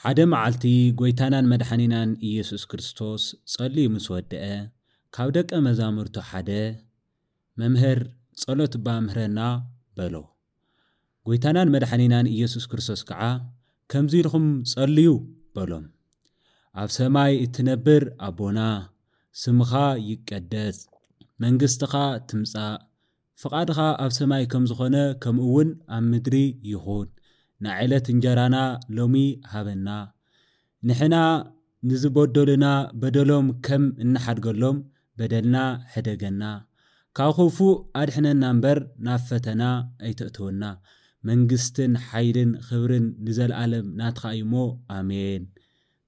ሓደ መዓልቲ ጎይታናን መድሓኒናን ኢየሱስ ክርስቶስ ጸልዩ ምስ ወደአ፣ ካብ ደቀ መዛሙርቱ ሓደ፣ "መምህር፣ ጸሎት እባ ምህረና" በሎ። ጎይታናን መድሓኒናን ኢየሱስ ክርስቶስ ከዓ፣ "ከምዚ ኢልኹም ጸልዩ" በሎም። "ኣብ ሰማይ እትነብር ኣቦና፣ ስምኻ ይቀደስ፣ መንግስትኻ ትምጻእ፣ ፍቓድኻ ኣብ ሰማይ ከም ዝኾነ ከምኡ እውን ኣብ ምድሪ ይኹን። ንዕለት እንጀራና ሎሚ ሃበና። ንሕና ንዝበደሉና በደሎም ከም እንሓድገሎም በደልና ሕደገና። ካብ ክፉእ ኣድሕነና እምበር ናብ ፈተና ኣይተእትወና። መንግስትን ሓይልን ክብርን ንዘለኣለም ናትኻ እዩ እሞ፣ ኣሜን."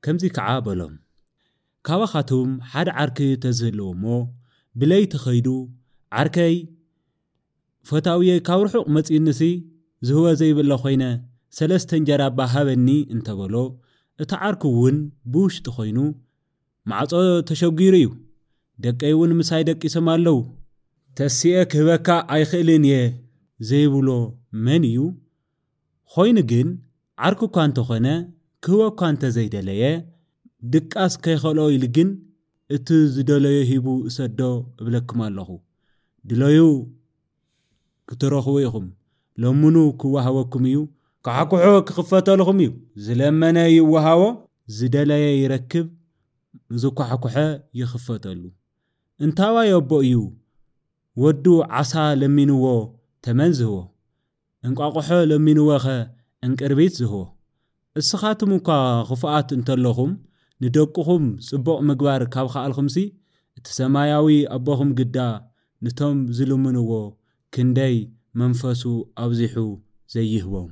ከምዚ ከዓ በሎም፣ "ካባኻትም ሓደ ዓርኪ ተዝህልዎ እሞ፣ ብለይቲ ኸይዱ፣ 'ዓርከይ፣ ፈታውየይ ካብ ርሑቕ መጺኡኒሲ፣ ዝህቦ ዘይብለ ኾይነ፣ ሰለስተ እንጀራ እባ ሃበኒ' እንተበሎ፣ እቲ ዓርኩ እውን ብውሽጢ ኾይኑ፣ 'ማዕጾ ተሸጒሩ እዩ፣ ደቀይ እውን ምሳይ ደቂሶም ኣለዉ፣ ተሲኤ ክህበካ ኣይኽእልን እየ' ዘይብሎ መን እዩ? ኾይኑ ግን፣ ዓርኩ እኳ እንተኾነ፣ ክህቦ እኳ እንተዘይደለየ፣ ድቃስ ከይኸልኦ ኢሉ ግን፣ እቲ ዝደለዮ ሂቡ እሰዶ እብለኩም ኣለኹ። ድለዩ ክትረኽቡ ኢኹም። ለምኑ ክወሃበኩም እዩ፣ ኳሕኩሑ ክኽፈተልኹም እዩ። ዝለመነ ይወሃቦ፣ ዝደለየ ይረክብ፣ ዝኳሕኩሐ ይኽፈተሉ። እንታዋይ ኣቦ እዩ ወዱ ዓሳ ለሚንዎ ተመን ዝህቦ? እንቋቑሖ ለሚንዎኸ ዕንቅርቢት ዝህቦ? እስኻትም እኳ ኽፉኣት እንተለኹም፣ ንደቅኹም ጽቡቕ ምግባር ካብ ኸኣልኩምሲ፣ እቲ ሰማያዊ ኣቦኹም ግዳ ንቶም ዝልምንዎ ክንደይ መንፈሱ ኣብዚሑ ዘይህቦም።